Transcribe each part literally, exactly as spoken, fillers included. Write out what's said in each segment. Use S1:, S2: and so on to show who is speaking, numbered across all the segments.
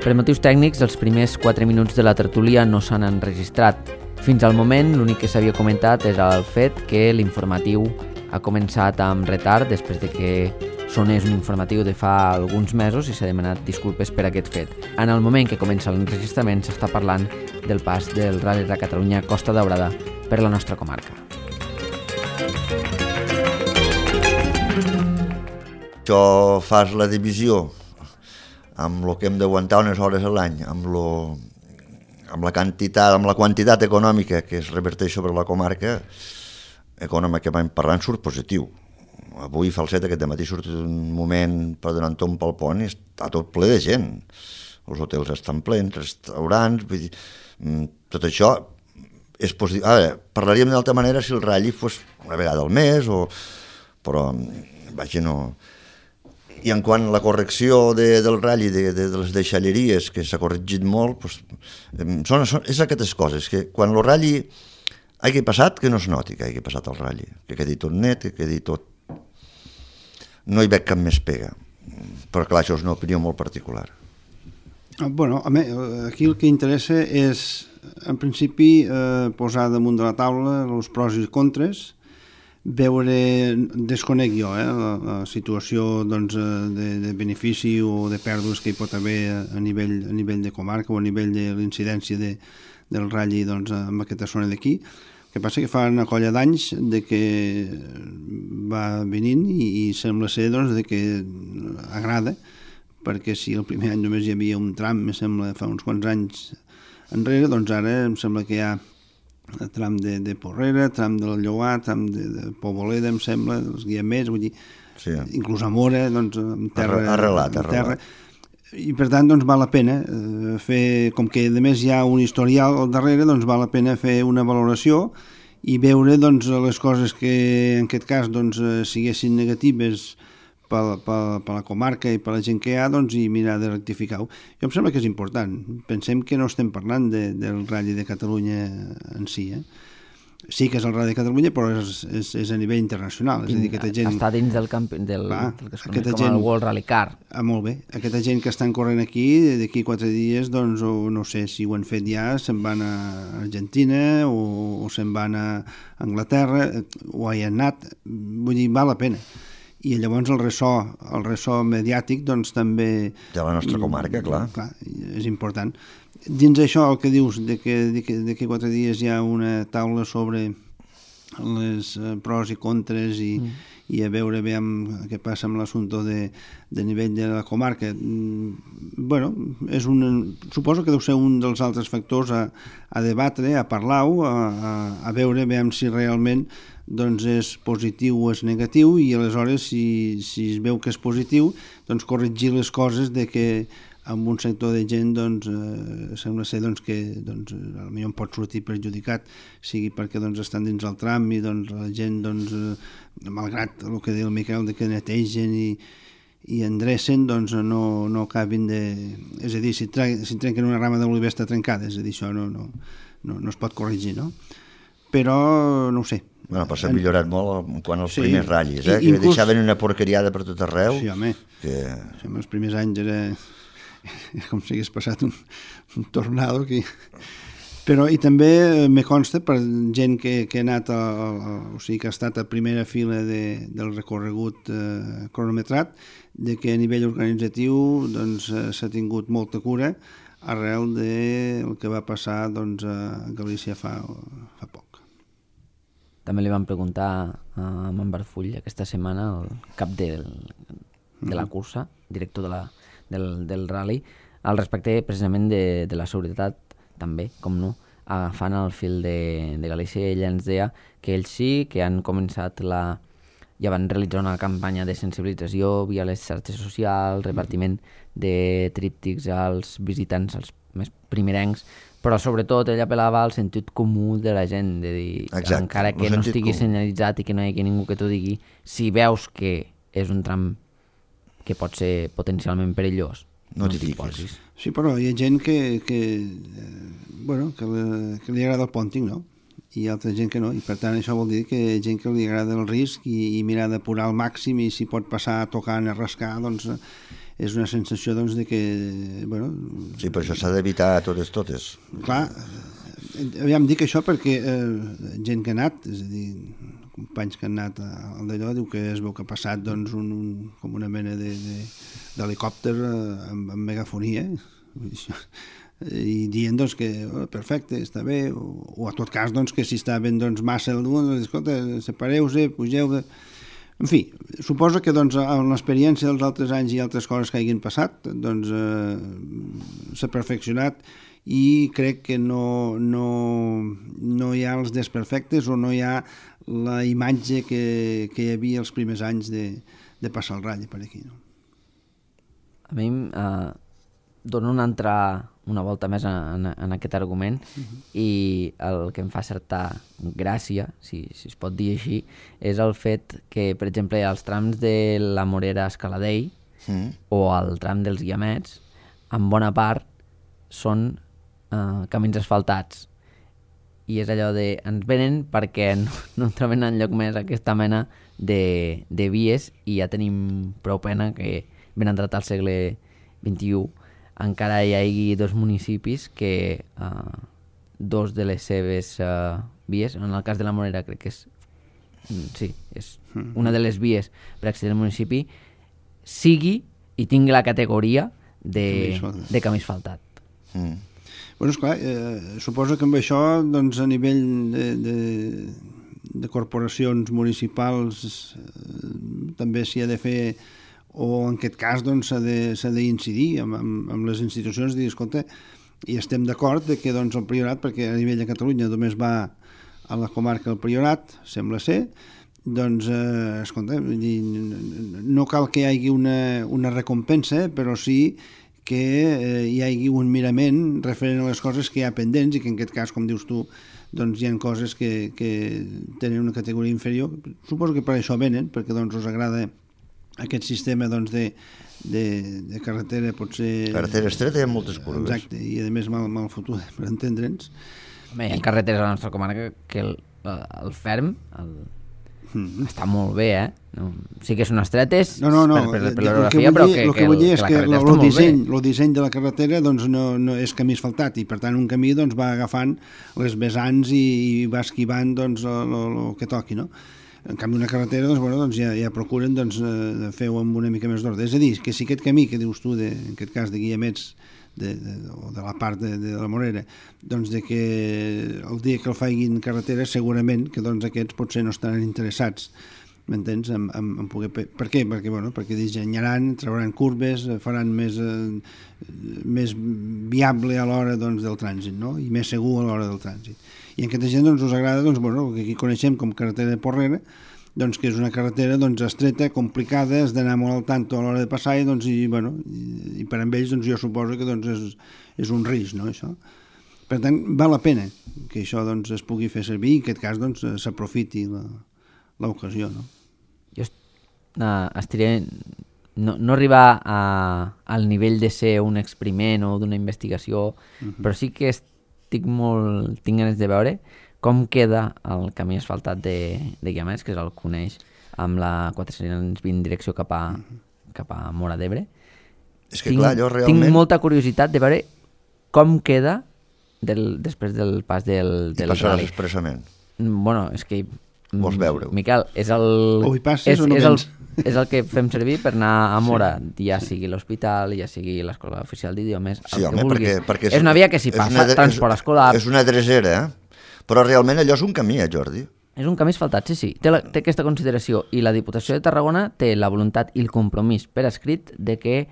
S1: Per motius tècnics, els primers quatre minuts de la tertúlia no s'han enregistrat. Fins al moment, l'únic que s'havia comentat era el fet que l'informatiu ha començat amb retard després de que sonés un informatiu de fa alguns mesos i s'ha demanat disculpes per aquest fet. En el moment que comença l'enregistrament s'està parlant del pas del Rally de Catalunya Costa Daurada per la nostra comarca.
S2: Això fas la divisió amb el que hem d'aguantar unes hores a l'any, amb, lo, amb, la quantitat, amb la quantitat econòmica que es reverteix sobre la comarca, econòmicament parlant surt positiu. Avui Falset aquest matí surt un moment per donar un tomb pel pont i està tot ple de gent. Els hotels estan plens, restaurants, vull dir, tot això és positiu. Ara, parlaríem d'altra manera si el ratll fos una vegada al mes, o... però vaja, no... I en quant a la correcció de, del ratll i de, de, de les deixalleries, que s'ha corregit molt, doncs, són, són, és aquestes coses, que quan el ratll hagi passat, que no es noti que hagi passat el ratll, que quedi tot net, que quedi tot... No hi veig cap més pega, però clar, això és una opinió molt particular.
S3: Bueno, a mi, aquí el que interessa és, en principi, eh, posar damunt de la taula els pros i contres, veure, desconec jo, eh, la, la situació doncs, de, de benefici o de pèrdues que hi pot haver a nivell, a nivell de comarca o a nivell de l'incidència de, del ratll doncs, en aquesta zona d'aquí. El que passa que fa una colla d'anys de que va venint i, i sembla ser doncs, de que agrada, perquè si el primer any només hi havia un tram, me sembla, fa uns quants anys enrere, doncs ara em sembla que hi ha tram de, de Porrera, tram del Lloar, tram de, de Poboleda, em sembla, els guiamets, vull dir, sí. Inclús a Mora, doncs, en terra...
S2: Arrelat,
S3: en
S2: arrelat.
S3: Terra. I per tant, doncs, val la pena eh, fer, com que a més hi ha un historial al darrere, doncs val la pena fer una valoració i veure, doncs, les coses que en aquest cas, doncs, siguessin negatives per, per, per la comarca i per la gent que hi ha, doncs, i mirar de rectificar-ho. Jo em sembla que és important. Pensem que no estem parlant de, del Rally de Catalunya en si, eh? Sí que és el Rally de Catalunya, però és, és, és a nivell internacional. És a dir, aquesta gent...
S1: Està dins del, camp... del,
S3: Clar,
S1: del que es coneix com gent... el World Rally Car.
S3: Ah, molt bé. Aquesta gent que estan corrent aquí, d'aquí quatre dies, doncs, o no sé si ho han fet ja, se'n van a Argentina o, o se'n van a Anglaterra, o hi han anat. Vull dir, val la pena. I llavors el ressò, el ressò mediàtic doncs també...
S2: De la nostra comarca, clar.
S3: clar. És important. Dins això el que dius, de que d'aquí quatre dies hi ha una taula sobre les pros i contres i, mm. i a veure veiem què passa amb l'assumpte de, de nivell de la comarca. Bueno, és un, suposo que deu ser un dels altres factors a, a debatre, a parlar-ho, a, a, a veure veiem si realment doncs és positiu o és negatiu i aleshores si, si es veu que és positiu doncs corregir les coses de que amb un sector de gent doncs, eh, sembla ser doncs, que doncs, potser pot sortir perjudicat sigui perquè doncs, estan dins el tram i doncs, la gent doncs, eh, malgrat el que diu el Miquel de que netegen i, i endrecen doncs, no, no acabin de... És a dir, si, tre si trenquen una rama d'oliver està trencada, és a dir, això no, no, no, no es pot corregir, no? Però no ho sé.
S2: Bueno, però s'ha millorat molt quan els sí, primers ratllis, eh? Que inclús... deixaven una porqueriada per tot arreu.
S3: Sí, home.
S2: Que...
S3: Sí, els primers anys era com si hagués passat un, un tornado aquí. Però i també me consta per gent que, que ha anat a, a, o sigui que ha estat a primera fila de, del recorregut eh, cronometrat, de que a nivell organitzatiu doncs, s'ha tingut molta cura arrel del que va passar doncs, a Galícia fa, fa poc.
S1: També li vam preguntar a Manbarfull aquesta setmana, el cap del, de la cursa, director de la, del, del rally, al respecte precisament de, de la seguretat també, com no, agafant el fil de, de Galícia. Ella ens deia que ells sí que han començat la... ja van realitzar una campanya de sensibilització via les xarxes socials, repartiment de tríptics als visitants, als més primerencs, però sobretot ell apel·lava al sentit comú de la gent, de dir, exacte, encara que no estigui comú senyalitzat i que no hi hagi ningú que t'ho digui, si veus que és un tram que pot ser potencialment perillós,
S2: no t'hi posis.
S3: Sí, però hi ha gent que, que, eh, bueno, que, li, que li agrada el pònting, no? i altra gent que no, i per tant això vol dir que hi ha gent que li agrada el risc i, i mirar d'apurar al màxim, i si pot passar tocant a rascar, doncs és una sensació doncs, de que... Bueno,
S2: sí, però això s'ha d'evitar a totes totes.
S3: Clar, aviam, dic això perquè eh, gent que ha anat, és a dir, companys que han anat al d'allò, diu que es veu que ha passat doncs, un, un, com una mena d'helicòpter amb, amb megafonia, i dient doncs, que oh, perfecte, està bé, o, o a tot cas doncs, que si està ben doncs, massa el dur, doncs, escolta, separeu-se, pugeu... De... En fi, suposo que doncs, amb l'experiència dels altres anys i altres coses que hagin passat, doncs eh, s'ha perfeccionat, i crec que no, no, no hi ha els desperfectes o no hi ha la imatge que, que hi havia els primers anys de, de passar el ratll per aquí. No?
S1: A mi eh, dono una, altra, una volta més en, en aquest argument uh-huh. i el que em fa certa gràcia, si, si es pot dir així, és el fet que, per exemple, els trams de la Morera a Escaladell uh-huh. o el tram dels Guiamets, en bona part, són Uh, camins asfaltats, i és allò de ens venen perquè no, no trobem enlloc més aquesta mena de, de vies, i ja tenim prou pena que ben entrat al segle vint-i-u encara hi hagi dos municipis que uh, dos de les seves uh, vies, en el cas de la Morera crec que és sí, és una de les vies per accedir al municipi sigui i tingui la categoria de, de camí asfaltat.
S2: Mm.
S3: Bueno, esclar, eh, suposo que amb això doncs, a nivell de, de, de corporacions municipals eh, també s'hi ha de fer, o en aquest cas doncs, s'ha de, s'ha d'incidir amb, amb, amb les institucions, dir, escolta, i estem d'acord de que doncs, el Priorat, perquè a nivell de Catalunya només va a la comarca del Priorat, sembla ser, doncs, eh, escolta, no cal que hi hagi una, una recompensa, però sí que eh, hi hagi un mirament referent a les coses que hi ha pendents, i que en aquest cas, com dius tu, doncs hi ha coses que, que tenen una categoria inferior. Suposo que per això venen, perquè doncs, us agrada aquest sistema doncs, de, de, de carretera, potser...
S2: Carretera estreta hi ha moltes curves.
S3: Exacte, i a més mal, mal fotuda, per entendre'ns.
S1: Bé, hi ha carreteres a la nostra comarca que el, el ferm el, mm. està molt bé, eh? No, sí que són estretes
S3: no, no, no.
S1: per, per, per l'orografia, però que,
S3: el que,
S1: que,
S3: vull dir és
S1: que
S3: que
S1: la
S3: el, el, disseny, el disseny de la carretera doncs, no, no és camí asfaltat, i per tant un camí doncs, va agafant les vessants i, i va esquivant doncs, el que toqui, no? En canvi una carretera doncs, bueno, doncs ja, ja procuren doncs, eh, fer-ho amb una mica més d'ordre. És a dir, que si aquest camí que dius tu, de, en aquest cas de Guiamets, de, de, o de la part de, de la Morera, doncs de que el dia que el facin carretera segurament que doncs, aquests potser no estaran interessats, m'entens? En, en, en poder... Per què? Perquè, bueno, perquè dissenyaran, trauran curves, faran més, eh, més viable a l'hora doncs, del trànsit, no? I més segur a l'hora del trànsit. I en aquesta gent doncs, us agrada, doncs, bueno, el que aquí coneixem com carretera de Porrera, doncs, que és una carretera doncs, estreta, complicada, has d'anar molt al tanto a l'hora de passar, i, doncs, i, bueno, i, i per amb ells doncs, jo suposo que doncs, és, és un risc, no, això? Per tant, val la pena que això doncs, es pugui fer servir, i en aquest cas doncs, s'aprofiti l'ocasió, no?
S1: Jo uh, estaria... No, no arribar a, al nivell de ser un experiment o d'una investigació, uh-huh. però sí que estic molt... tinc ganes de veure com queda el camí asfaltat de, de Guiamets, que se'l coneix, amb la quatre-cents vint direcció cap a, uh-huh. cap a Móra d'Ebre.
S2: És que
S1: tinc,
S2: clar, jo realment...
S1: Tinc molta curiositat de veure com queda del, després del pas del, del
S2: I passaràs
S1: rally.
S2: expressament.
S1: Bueno, és que...
S2: Vols veure-ho?
S1: Miquel, és el...
S3: O hi passes
S1: és,
S3: o no
S1: és
S3: vens?
S1: el, és el que fem servir per anar a Móra, sí. Ja sigui l'hospital, ja sigui l'escola oficial d'idiomes, el
S2: sí,
S1: que
S2: home,
S1: vulguis.
S2: Perquè, perquè
S1: és, és una via que s'hi passa,
S2: una,
S1: transport
S2: és,
S1: escolar...
S2: És una dresera, eh? Però realment allò és un camí, eh, Jordi?
S1: És un camí asfaltat, sí, sí. Té, la, té aquesta consideració, i la Diputació de Tarragona té la voluntat i el compromís per escrit de que eh,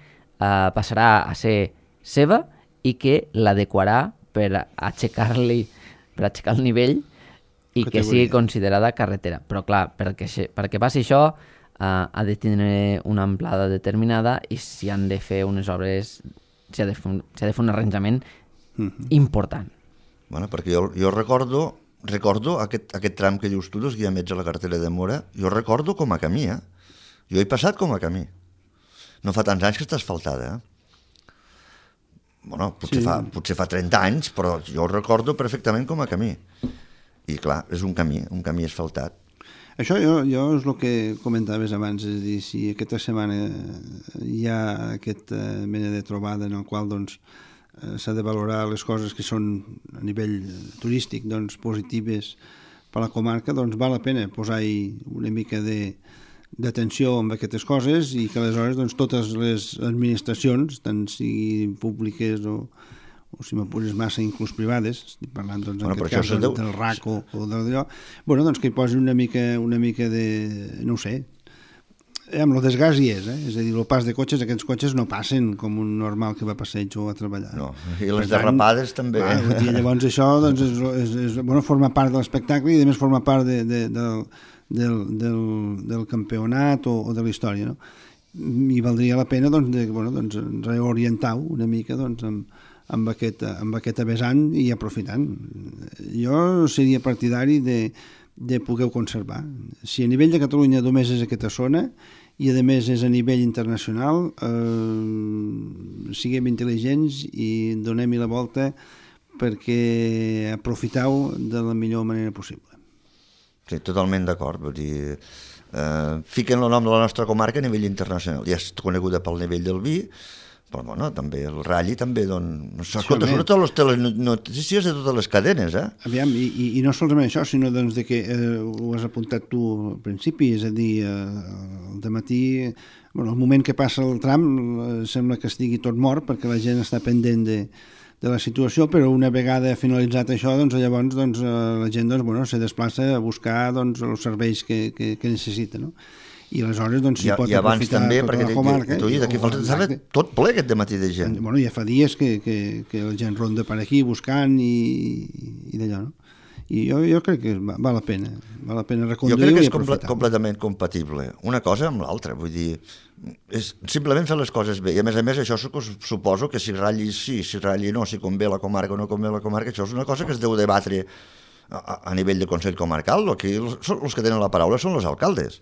S1: passarà a ser seva i que l'adequarà per aixecar-li, per aixecar el nivell i que sigui considerada carretera. Però clar, perquè, perquè passi això uh, ha de tenir una amplada determinada, i si han de fer unes obres, s'ha de, de fer un arranjament mm-hmm. important.
S2: Bueno, perquè jo, jo recordo, recordo aquest, aquest tram que dius tu, dos Guiamets a la carretera de Móra, jo recordo com a camí, eh? Jo he passat com a camí. No fa tants anys que està asfaltada, eh? Bueno, potser, sí. fa, potser fa trenta anys, però jo ho recordo perfectament com a camí. I clar, és un camí, un camí asfaltat.
S3: Això jo, jo és el que comentaves abans, és a dir, si aquesta setmana hi ha aquesta mena de trobada en el qual doncs, s'ha de valorar les coses que són a nivell turístic doncs, positives per a la comarca, doncs val la pena posar-hi una mica de d'atenció amb aquestes coses i que aleshores doncs, totes les administracions, tant siguin públiques o, o si m'apures massa, inclús privades, estic parlant doncs, en
S2: bueno,
S3: aquest cas del, deu... del R A C o, o d'allò, bueno, doncs que hi posi una mica, una mica de, no ho sé, amb el desgast hi és, eh? És a dir, el pas de cotxes, aquests cotxes no passen com un normal que va a passeig o a treballar.
S2: No, i les per derrapades tant, també.
S3: Va, dir, llavors això doncs, és, és, és, bueno, forma part de l'espectacle i a més forma part de, de, de, del, del, del campionat o, o de la història, no? I valdria la pena doncs, de, bueno, doncs, reorientar-ho una mica doncs, amb, amb, aquest, amb aquest vessant i aprofitant. Jo seria partidari de de poder conservar. Si a nivell de Catalunya només és aquesta zona i a més és a nivell internacional, eh, siguem intel·ligents i donem-hi la volta perquè aprofiteu de la millor manera possible.
S2: Sí, totalment d'acord. Vull dir, eh, fiquen el nom de la nostra comarca a nivell internacional. Ja és coneguda pel nivell del vi, però bueno, també el Rally també doncs, escolta, sí, sobretot les telenotícies de totes les cadenes, eh?
S3: Aviam, i, i, i no solament això, sinó doncs, de que eh, ho has apuntat tu al principi, és a dir, eh, al dematí, bueno, el moment que passa el tram eh, sembla que estigui tot mort perquè la gent està pendent de, de la situació, però una vegada finalitzat això, doncs llavors doncs, la gent doncs, bueno, se desplaça a buscar doncs, els serveis que, que, que necessita, no? I aleshores doncs, s'hi pot aprofitar
S2: també,
S3: tota
S2: perquè
S3: la comarca.
S2: T'ho he dit, aquí falta estava tot ple aquest dematí de gent.
S3: Bueno, ja fa dies que, que, que la gent ronda per aquí buscant i, i d'allò, no? I jo, jo crec que val la pena, val la pena reconduir-ho i aprofitar-ho.
S2: Jo crec que és comple completament compatible, una cosa amb l'altra, vull dir, és simplement fer les coses bé, i a més a més això suposo que si ratlli sí, si ratlli no, si convé la comarca o no convé la comarca, això és una cosa que es deu debatre a, a nivell de Consell Comarcal, aquí els, els que tenen la paraula són els alcaldes.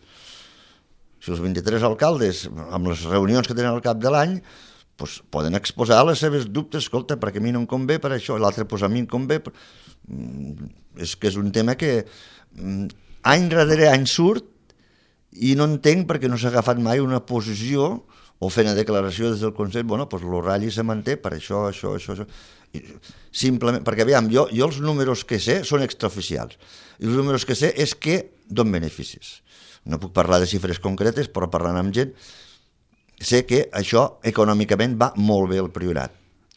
S2: Si els vint-i-tres alcaldes, amb les reunions que tenen al cap de l'any, doncs poden exposar les seves dubtes, escolta, perquè a mi no em convé per això, i l'altre, doncs a mi em convé. Per... És que és un tema que any darrere any surt i no entenc perquè no s'ha agafat mai una posició o fent una declaració des del Consell, bueno, doncs el Rally se manté per això, això, això, això. I simplement, perquè aviam, jo, jo els números que sé són extraoficials, i els números que sé és que donen beneficis. No puc parlar de xifres concretes, però parlant amb gent, sé que això econòmicament va molt bé al Priorat.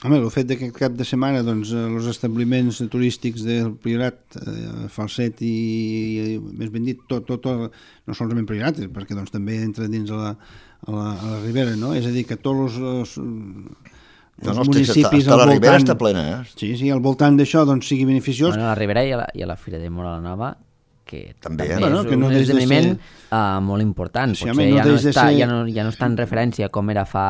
S3: Home, el fet que cap de setmana doncs, els establiments turístics del Priorat, eh, Falset i, i, més ben dit, tot, tot, tot, no solament Priorat, perquè doncs, també entra dins a la, a la, a la Ribera, no? És a dir, que tots els, els no, no, municipis
S2: està,
S3: al
S2: la
S3: voltant...
S2: Ribera està plena, eh?
S3: Sí, sí, al voltant d'això doncs, sigui beneficiós.
S1: Bueno, a la Ribera i a la, i a la Fira de Mora la Nova, que també, també
S3: bueno,
S1: és
S3: que no
S1: un esdeveniment de ser... uh, molt important.
S3: Sí,
S1: potser
S3: home, no
S1: ja, no està,
S3: ser...
S1: ja, no, ja no està en referència com era fa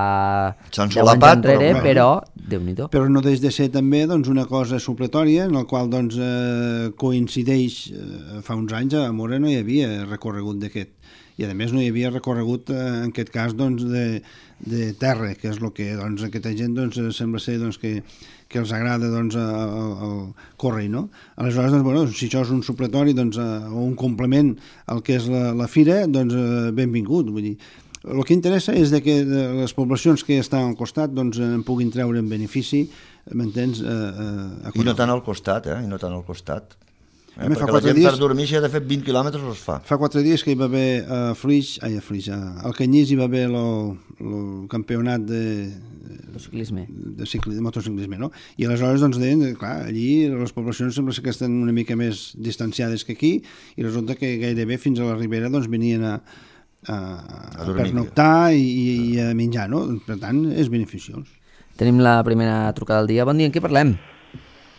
S2: deu anys
S1: enrere, però, però Déu-n'hi-do.
S3: Però no deix de ser també doncs, una cosa supletòria en la qual doncs, eh, coincideix eh, fa uns anys a Mora no hi havia recorregut d'aquest. I a més no hi havia recorregut eh, en aquest cas doncs, de, de terra, que és el que doncs, aquesta gent doncs, sembla ser doncs, que, que els agrada doncs, el, el córrer, no? Aleshores, doncs, bueno, si això és un supletori doncs, o un complement al que és la, la fira, doncs benvingut. Vull dir, el que interessa és de que les poblacions que estan al costat doncs, en puguin treure en benefici, m'entens? Eh, eh,
S2: I no tant al costat, eh? I no tant al costat. Eh,
S3: perquè
S2: la gent
S3: dies,
S2: per dormir si ha de fer vint quilòmetres els fa.
S3: Fa quatre dies que hi va haver a uh, Flix, ai, a Flix, uh, al Canyís hi va haver el campionat de,
S1: de ciclisme,
S3: de, cicli, de motociclisme, no? I aleshores doncs deien, clar, allí les poblacions sembla que estan una mica més distanciades que aquí i resulta que gairebé fins a la Ribera doncs venien a, a, a, a pernoctar i, i a menjar, no? Per tant, és beneficiós.
S1: Tenim la primera trucada del dia. Bon dia, en què parlem?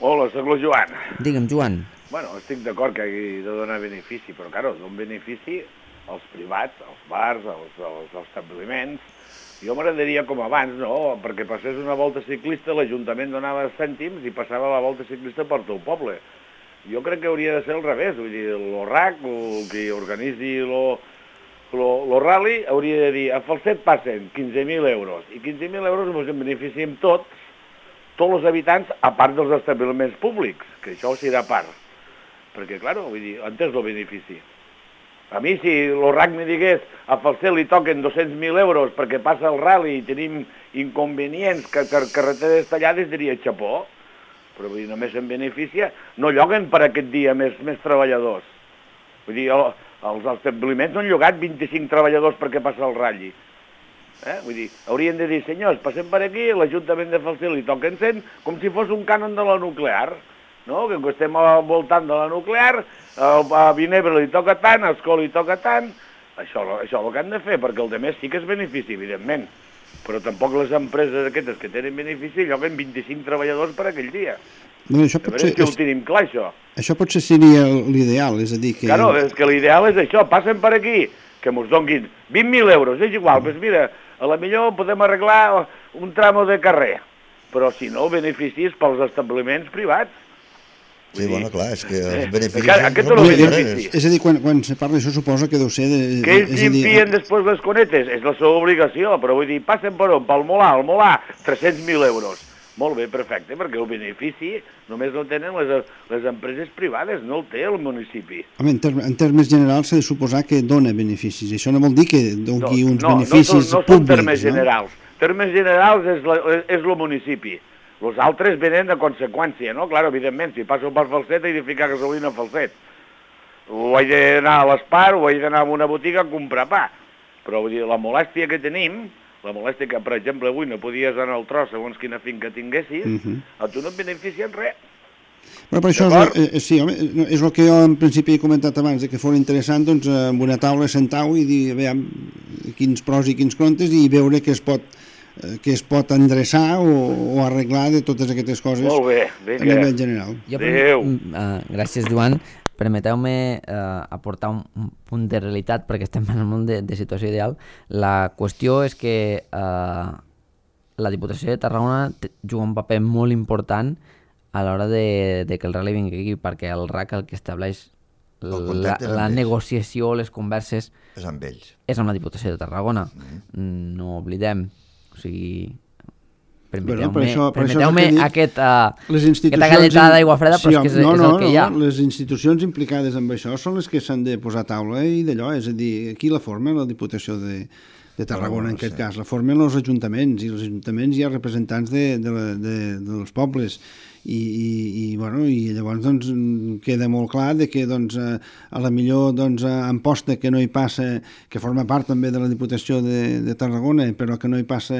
S4: Hola, soc el Joan.
S1: Digue'm, Joan.
S4: Bueno, estic d'acord que hagi de donar benefici, però, claro, d'un benefici als privats, als bars, als, als, als establiments. Jo m'agradaria com abans, no?, perquè passés una volta ciclista, l'Ajuntament donava cèntims i passava la volta ciclista per tot el poble. Jo crec que hauria de ser al revés, vull dir, el R A C, el que organitzi el rally, hauria de dir, a Falset passen quinze mil euros, i quinze mil euros ens en beneficiem tots, tots els habitants, a part dels establiments públics, que això serà a part. perquè, clar, vull dir, on és el benefici? A mi, si el R A C me digués a Falset li toquen dos-cents mil euros perquè passa el rally i tenim inconvenients, que, que carreteres tallades, diria xapó, però vull dir, només en beneficia, no lloguen per aquest dia més, més treballadors. Vull dir, el, els establiments no han llogat vint-i-cinc treballadors perquè passa el rally. Eh? Vull dir, haurien de dir, senyors, passem per aquí, l'Ajuntament de Falset li toquen cent, com si fos un cànon de la nuclear, no? Que estem al voltant de la nuclear, a Vinebre li toca tant, a Escola li toca tant, això, això és el que han de fer, perquè el de més sí que és benefici, evidentment, però tampoc les empreses aquestes que tenen benefici lloguen vint-i-cinc treballadors per aquell dia.
S3: Bueno, això
S4: a veure si ho tenim clar, això.
S3: Això potser seria l'ideal, és a dir que...
S4: Claro, és que l'ideal és això, passen per aquí, que mos donguin vint mil euros, és igual, doncs mira, a la millor podem arreglar un tramo de carrer, però si no, beneficis pels establiments privats.
S2: Sí, bueno, clar, és que els beneficis...
S4: Eh, aquest és el benefici.
S3: És a dir, quan, quan se parla d'això suposa que deu ser... De,
S4: que ells llimpien després les conetes, és la seva obligació, però vull dir, passen per on? Pel Molà, el Molà, tres-cents mil euros. Molt bé, perfecte, perquè el benefici només el tenen les, les empreses privades, no el té el municipi.
S3: Home, en, term, en termes generals s'ha de suposar que dona beneficis. Això no vol dir que doni
S4: no,
S3: uns
S4: no,
S3: beneficis
S4: no, no, no
S3: públics,
S4: són termes
S3: no?
S4: generals. Termes generals és, la, és el municipi. Els altres venen de conseqüència, no? Clar, evidentment, si passo per Falset he de ficar gasolina a Falset. O he d'anar a l'Espar, o he d'anar a una botiga a comprar pa. Però vull dir, la molèstia que tenim, la molèstia que, per exemple, avui no podies anar al tros segons quina finca tinguessis, uh -huh. a tu no et beneficien res.
S3: Però per això, és, eh, sí, home, és el que jo en principi he comentat abans, de que fos interessant, doncs, amb una taula sentar-ho i dir, veiem, quins pros i quins contes i veure què es pot que es pot endreçar o, o arreglar de totes aquestes coses.
S4: Molt bé, vinga.
S3: A nivell general.
S1: Jo, Adéu. Uh, gràcies, Joan. Permeteu-me uh, aportar un, un punt de realitat, perquè estem parlant de, de situació ideal. La qüestió és que uh, la Diputació de Tarragona juga un paper molt important a l'hora de, de que el rally vingui aquí, perquè el R A C el que estableix la, la negociació, les converses...
S2: És amb ells.
S1: És amb la Diputació de Tarragona. Mm. No oblidem. O sigui, permeteu-me bueno, permeteu aquest, uh, aquesta galletada d'aigua freda, però sí, és que és,
S3: no,
S1: és
S3: no,
S1: el que hi ha.
S3: No, les institucions implicades en això són les que s'han de posar a taula i d'allò, és a dir, aquí la forma la Diputació de, de Tarragona, en aquest sí. cas, la formen els ajuntaments, i els ajuntaments hi ha representants de, de, la, de, dels pobles, i, i, i, bueno, i llavors doncs, queda molt clar de que doncs, a la millor doncs, Amposta, que no hi passa, que forma part també de la Diputació de, de Tarragona, però que no hi passa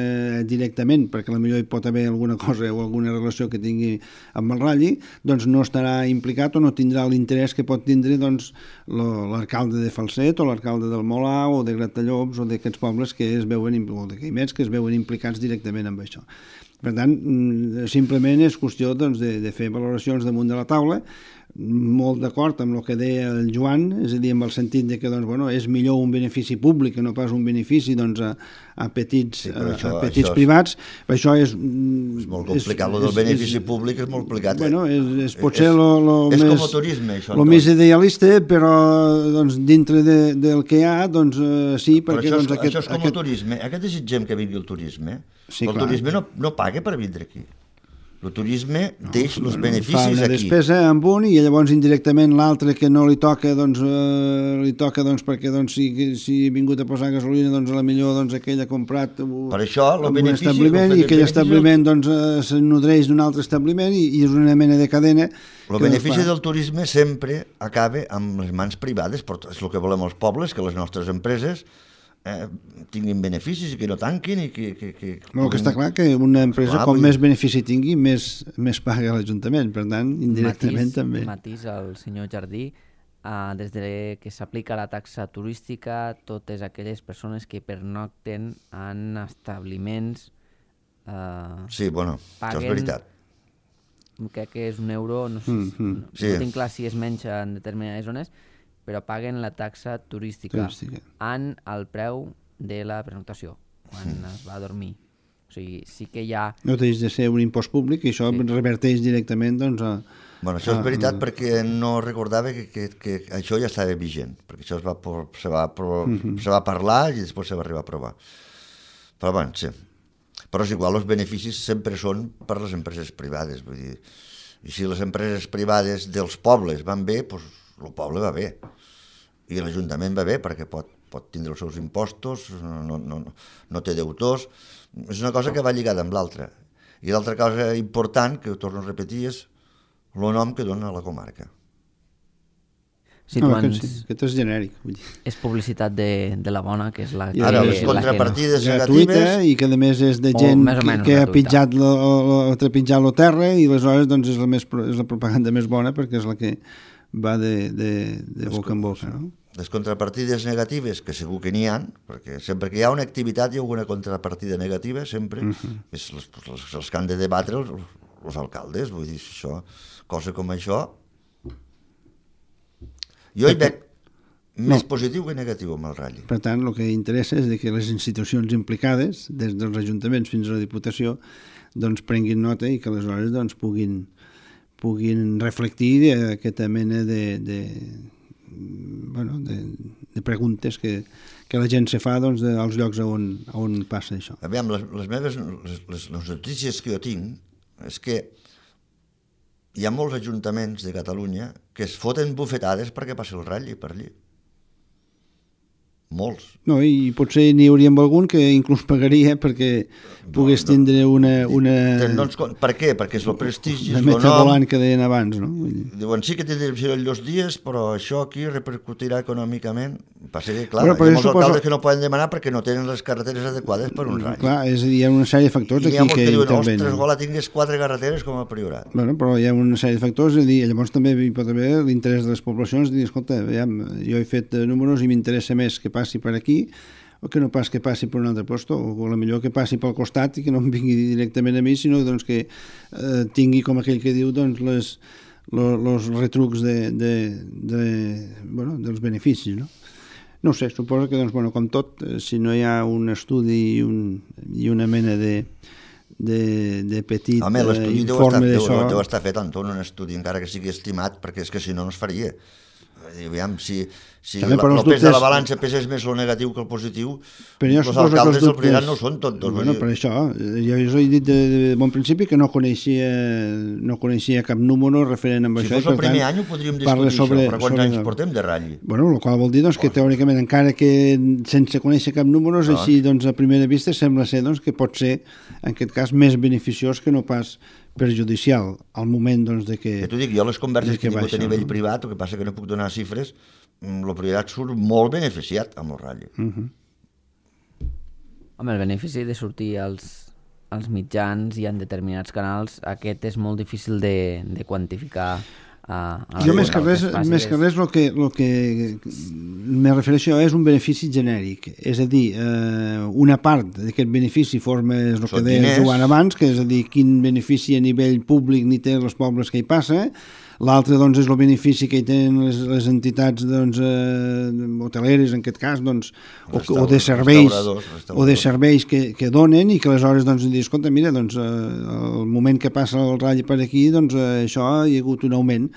S3: directament, perquè a la millor hi pot haver alguna cosa o alguna relació que tingui amb el Rally, doncs no estarà implicat o no tindrà l'interès que pot tindre doncs, l'alcalde de Falset o l'alcalde del Molà o de Gratallops o d'aquests pobles que es veuen, o de Caimets que es veuen implicats directament amb això. Per tant, simplement és qüestió doncs, de, de fer valoracions damunt de la taula, molt d'acord amb el que deia el Joan, és a dir, amb el sentit de que doncs, bueno, és millor un benefici públic que no pas un benefici doncs, a, a petits, sí, això, a petits això privats. És, això és,
S2: és molt complicat, el del benefici és, públic és molt complicat.
S3: Bueno, és, és potser és, lo, lo
S2: és
S3: més,
S2: com el turisme, això.
S3: Lo més idealista, però doncs, dintre de, del que hi ha, doncs uh, sí, perquè...
S2: Però això,
S3: doncs,
S2: és,
S3: aquest,
S2: això és com
S3: aquest...
S2: el turisme. Aquest desitgem que vingui el turisme.
S3: Sí,
S2: el
S3: clar.
S2: turisme no, no paga per vindre aquí. El turisme no, deixa els beneficis
S3: fa una
S2: aquí.
S3: Despesa amb un i llavors indirectament l'altre que no li toca doncs, eh, li toca doncs, perquè doncs, si, si ha vingut a posar gasolina doncs, a la millor doncs, aquell ha comprat
S2: per això, el
S3: un
S2: benefici,
S3: establiment
S2: el
S3: i aquell
S2: benefici,
S3: establiment doncs, eh, se nodreix d'un altre establiment i, i és una mena de cadena.
S2: El benefici del turisme sempre acaba amb les mans privades, però és el que volem els pobles, que les nostres empreses Eh, tinguin beneficis i que no tanquin i que... que, que
S3: no, que està clar que una empresa clar, com vull... més benefici tingui més, més paga l'Ajuntament, per tant indirectament
S1: matís,
S3: també.
S1: Matís al senyor Jardí, uh, des de que s'aplica la taxa turística, totes aquelles persones que pernocten en establiments uh,
S2: sí, bueno,
S1: paguen,
S2: això és veritat.
S1: Crec que és un euro, no, sé,
S3: mm -hmm.
S1: no, sí. no tinc clar si es menja en determinades zones, però paguen la taxa turística, turística en el preu de la pernoctació, quan mm. es va a dormir. O sigui, sí que hi ha...
S3: No deixa de ser un impost públic i això sí. reverteix directament doncs, a...
S2: Bueno, això és veritat a... perquè no recordava que, que, que això ja estava vigent, perquè això es va, se, va, mm -hmm. se va parlar i després se va arribar a aprovar. Però bueno, sí. Però és igual, els beneficis sempre són per les empreses privades, vull dir... I si les empreses privades dels pobles van bé, doncs el poble va bé. I l'Ajuntament va bé perquè pot, pot tindre els seus impostos, no, no, no té deutors. És una cosa que va lligada amb l'altra. I l'altra cosa important, que ho torno a repetir, és el nom que dona la comarca.
S1: Si
S3: no,
S1: tu ens...
S3: aquest, aquest és genèric. Vull dir.
S1: És publicitat de, de la bona, que és la que...
S2: Ara, les
S1: la
S2: contrapartides
S1: que
S3: no. Gratuïta,
S2: negatives...
S3: i que a més és de
S1: O
S3: gent
S1: més o
S3: que,
S1: menys
S3: que ha
S1: gratuïta.
S3: pitjat lo, lo, ha trepitjat la terra, i aleshores doncs, és, la més, és la propaganda més bona perquè és la que va de, de, de boca en boca. No?
S2: Les contrapartides negatives, que segur que n'hi ha, perquè sempre que hi ha una activitat hi ha alguna contrapartida negativa, sempre, uh -huh. és les, les, els que han de debatre els, els alcaldes, vull dir, això, cosa com això... Jo hi veig més no. positiu que negatiu amb el Rally.
S3: Per tant, el que interessa és de que les institucions implicades, des dels ajuntaments fins a la Diputació, doncs prenguin nota i que aleshores doncs, puguin, puguin reflectir aquesta mena de, de, bueno, de, de preguntes que, que la gent se fa doncs, als llocs on, on passa això.
S2: Aviam, les, les meves les, les, les notícies que jo tinc és que hi ha molts ajuntaments de Catalunya que es foten bufetades perquè passi el Rally per allí. Molts.
S3: No, i potser n'hi hauríem algun que inclús pagaria perquè pogués no, no, tindre una... una...
S2: Doncs, per què? Perquè és el prestigi, és
S3: el
S2: el
S3: metre
S2: nom.
S3: volant que deien abans, no?
S2: Diuen, sí que tindrem dos dies, però això aquí repercutirà econòmicament. Passa que, clar,
S3: bueno,
S2: hi ha molts
S3: suposo...
S2: alcaldes que no poden demanar perquè no tenen les carreteres adequades per un Rally.
S3: Clar, és a dir, hi ha una sèrie de factors
S2: I
S3: aquí
S2: hi ha molts
S3: que,
S2: que diuen,
S3: intervenen.
S2: ostres, gola, tingués quatre carreteres com a Priorat.
S3: Bueno, però hi ha una sèrie de factors, és a dir, llavors també hi pot haver l'interès de les poblacions, de dir, escolta, veiem, jo he fet números i m'interessa més que passi per aquí, o que no pas que passi per un altre lloc, o a millor que passi pel costat i que no em vingui directament a mi, sinó doncs, que eh, tingui, com aquell que diu, doncs, les, los, los retrucs de, de, de, bueno, dels beneficis, no? No sé, suposo que, doncs, bueno, com tot, si no hi ha un estudi i, un, i una mena de, de, de petit
S2: Home, l'estudi
S3: eh,
S2: deu,
S3: informe
S2: estar,
S3: d'això...
S2: deu, deu estar fet, Anton, un estudi, encara que sigui estimat, perquè és que si no, no es faria. Aviam, si, si la, el pes dubtes... de la balança pesés més el negatiu que el positiu, els alcaldes del Priorat no són tontos.
S3: Bueno, per això, jo us he dit de, de bon principi que no coneixia, no coneixia cap número referent amb
S2: si
S3: això.
S2: Si fos el primer tant, any ho podríem discutir sobre, això, però quants sobre... anys portem de Rally?
S3: Bueno, el qual vol dir doncs, que teòricament, encara que sense conèixer cap número, no. Així doncs, a primera vista sembla ser doncs, que pot ser, en aquest cas, més beneficiós que no pas perjudicial al moment doncs, de que...
S2: Ja t'ho dic, jo les converses que he tingut
S3: baixa,
S2: a nivell
S3: no?
S2: privat, el que passa que no puc donar xifres, el Priorat surt molt beneficiat amb el Rally.
S3: Uh -huh.
S1: Home, el benefici de sortir als, als mitjans i en determinats canals, aquest és molt difícil de, de quantificar. A, a
S3: jo més que res, més que res el que, el que me refereixo és un benefici genèric, és a dir, eh, una part d'aquest benefici forma el que deia Joan abans, que és a dir, quin benefici a nivell públic ni té els pobles que hi passa. L'altre doncs, és el benefici que hi tenen les, les entitats doncs, eh, hoteleres, en aquest cas, doncs, o, o de serveis, o de serveis que, que donen i que aleshores doncs, dius, escolta, mira, doncs, eh, el moment que passa el Rally per aquí, doncs, eh, això hi ha hagut un augment.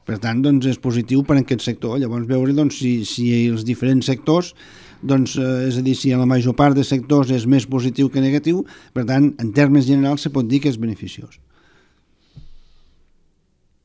S3: Per tant, doncs, és positiu per a aquest sector. Llavors, veure doncs, si, si els diferents sectors, doncs, eh, és a dir, si en la major part de sectors és més positiu que negatiu, per tant, en termes generals se pot dir que és beneficiós.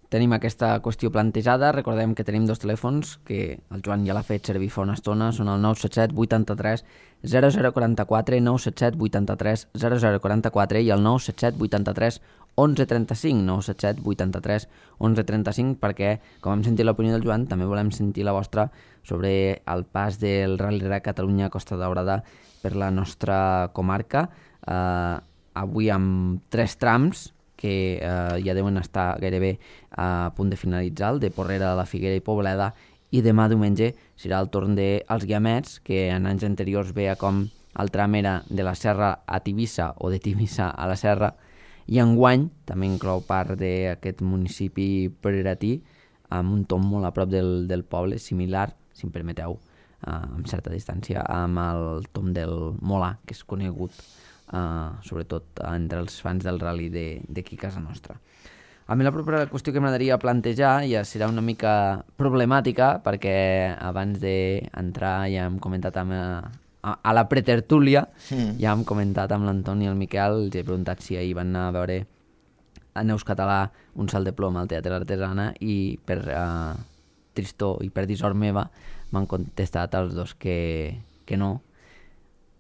S1: Tenim aquesta qüestió plantejada, recordem que tenim dos telèfons, que el Joan ja l'ha fet servir fa una estona, són el nou set set vuitanta-tres zero zero quaranta-quatre, nou set set vuitanta-tres zero zero quaranta-quatre i el nou set set vuitanta-tres onze trenta-cinc, nou set set vuitanta-tres onze trenta-cinc, perquè, com hem sentit l'opinió del Joan, també volem sentir la vostra sobre el pas del Rally Raid Catalunya Costa Daurada per la nostra comarca, eh, avui amb tres trams, que eh, ja deuen estar gairebé a punt de finalitzar, el de Porrera, la Figuera i Pobleda, i demà diumenge serà el torn dels Guiamets, que en anys anteriors veia com el tram era de la Serra a Tivissa o de Tivissa a la Serra, i enguany també inclou part d'aquest municipi preratí, amb un tom molt a prop del, del poble, similar, si em permeteu, eh, amb certa distància, amb el tom del Molà, que és conegut Uh, sobretot uh, entre els fans del rally d'aquí a casa nostra. A mi la propera qüestió que m'agradaria plantejar ja serà una mica problemàtica, perquè abans d'entrar ja hem comentat amb, a, a la pretertúlia, mm. ja hem comentat amb l'Antoni i el Miquel, els he preguntat si ahir van anar a veure a Neus Català un salt de plom al Teatre L'Artesana i per uh, tristor i per dissort meva m'han contestat els dos que, que no.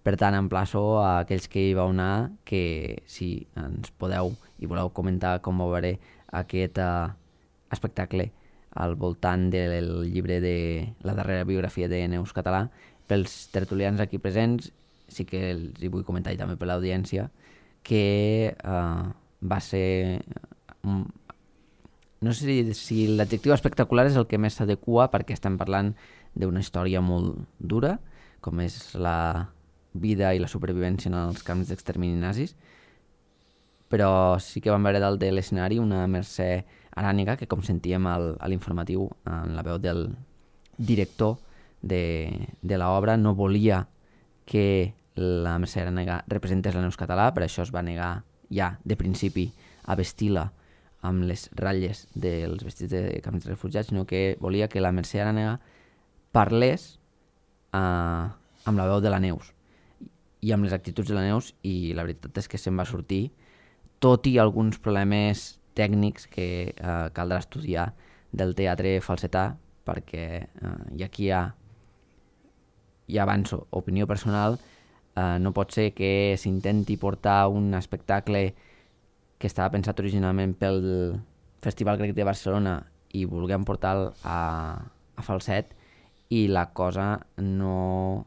S1: Per tant, emplaço a aquells que hi vau anar que si ens podeu i voleu comentar com ho veuré aquest uh, espectacle al voltant del llibre de la darrera biografia de Neus Català, pels tertulians aquí presents, sí que els hi vull comentar i també per l'audiència, que uh, va ser... Um, no sé si, si l'adjectiu espectacular és el que més s'adequa perquè estem parlant d'una història molt dura, com és la vida i la supervivència en els camps d'extermini nazis, però sí que vam veure dalt de l'escenari una Mercè Arànega, que com sentíem al, a l'informatiu en la veu del director de, de l'obra, no volia que la Mercè Arànega representés la Neus Català, per això es va negar ja de principi a vestir-la amb les ratlles dels vestits de camps de refugiats, sinó que volia que la Mercè Arànega parlés eh, amb la veu de la Neus i amb les actituds de la Neus, i la veritat és que se'n va sortir, tot i alguns problemes tècnics que eh, caldrà estudiar del teatre falsetà, perquè eh, i aquí ja, ja avanço, opinió personal, eh, no pot ser que s'intenti portar un espectacle que estava pensat originalment pel Festival Grec de Barcelona i vulguem portar-lo a, a falset i la cosa no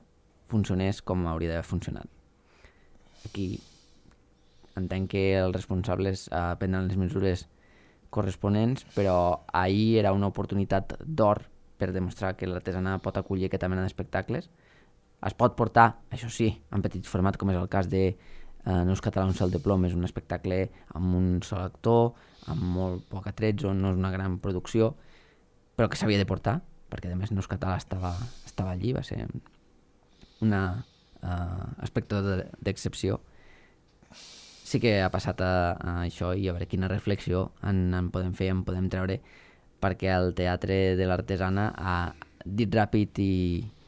S1: funcionés com hauria d'haver funcionat. Aquí entenc que els responsables eh, prendran les mesures corresponents, però ahir era una oportunitat d'or per demostrar que l'artesana pot acollir aquesta mena d'espectacles. Es pot portar, això sí, en petit format, com és el cas de eh, Neus Català, un salt de plom, és un espectacle amb un sol actor, amb molt poc atretzo, no és una gran producció, però que s'havia de portar, perquè a més Neus Català estava, estava allí, va ser una uh, espectador d'excepció. Sí que ha passat a, a això i a veure quina reflexió en, en podem fer, en podem treure, perquè el Teatre de l'Artesana ha dit ràpid i,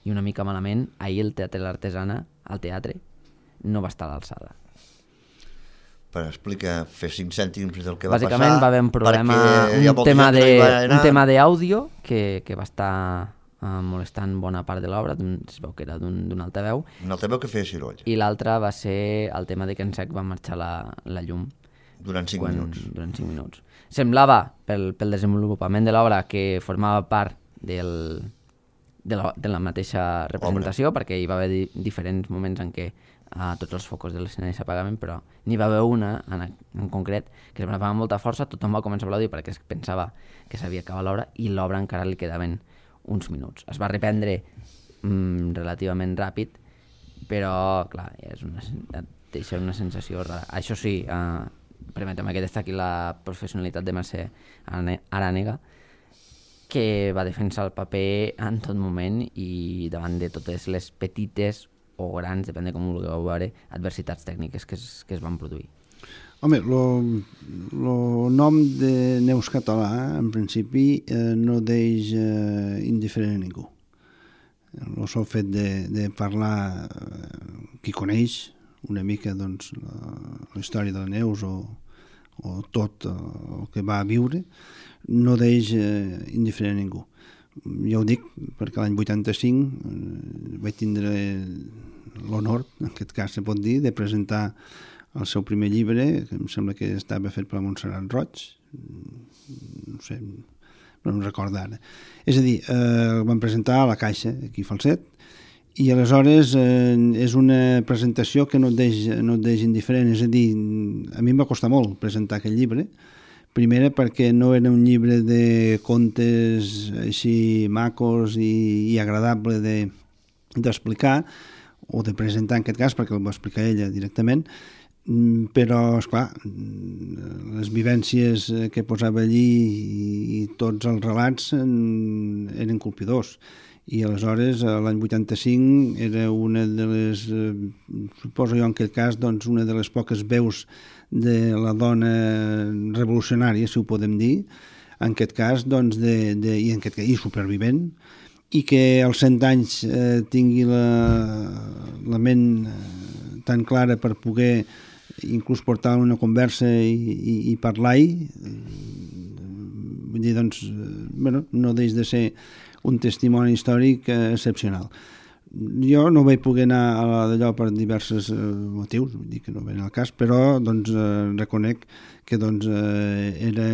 S1: i una mica malament, ahir el Teatre de l'Artesana, el teatre, no va estar a l'alçada.
S2: Per explicar, fer cinc cèntims del que va
S1: Bàsicament,
S2: passar...
S1: Bàsicament va haver un problema, un tema, de, un tema d'àudio que, que va estar uh, molestant bona part de l'obra, es veu que era d'un altaveu.
S2: Un altaveu que feia ciroll.
S1: I l'altre va ser el tema de que en sec va marxar la, la llum.
S2: Durant cinc
S1: quan,
S2: minuts.
S1: Durant cinc minuts. Semblava, pel, pel desenvolupament de l'obra, que formava part del, de, la, de la mateixa representació, obra. Perquè hi va haver di, diferents moments en què uh, tots els focus de l'escenari s'apagaven, però n'hi va haver una en, en concret que es va amb molta força, tothom va començar a aplaudir perquè es pensava que s'havia acabat l'obra i l'obra encara li quedaven uns minuts. Es va reprendre mm, relativament ràpid, però clar, és una, deixa una sensació rara. Això sí, eh, permetem que destaqui la professionalitat de Mercè Arànega, que va defensar el paper en tot moment i davant de totes les petites o grans, depèn de com ho vulgueu veure, adversitats tècniques que es, que es van produir.
S3: Home, el nom de Neus Català, en principi, eh, no deix eh, indiferent a ningú. El sol fet de, de parlar eh, qui coneix una mica doncs, la, la història de la Neus o, o tot el que va viure, no deix eh, indiferent a ningú. Ja ho dic perquè l'any vuitanta-cinc eh, vaig tindre l'honor, en aquest cas se pot dir, de presentar el seu primer llibre, que em sembla que estava fet per la Montserrat Roig, no sé, no em recordo ara. És a dir, eh, el vam presentar a la Caixa, aquí a Falset, i aleshores eh, és una presentació que no et deix, no et deix indiferent, és a dir, a mi em va costar molt presentar aquest llibre, primera perquè no era un llibre de contes així macos i, i agradable d'explicar, de, o de presentar en aquest cas, perquè el va explicar ella directament, però, esclar, les vivències que posava allí i, i tots els relats eren colpidors. I aleshores, l'any vuitanta-cinc, era una de les, suposo jo en aquest cas, doncs, una de les poques veus de la dona revolucionària, si ho podem dir, en aquest cas, doncs, de, de, i, en aquest cas, i supervivent, i que als cent anys eh, tingui la, la ment tan clara per poder inclús portar una conversa i, i, i parlar-hi, vull dir, doncs, bueno, no deix de ser un testimoni històric excepcional. Jo no vaig poder anar a d'allò per diversos eh, motius, vull dir que no ve al cas, però doncs, eh, reconec que doncs, eh, era,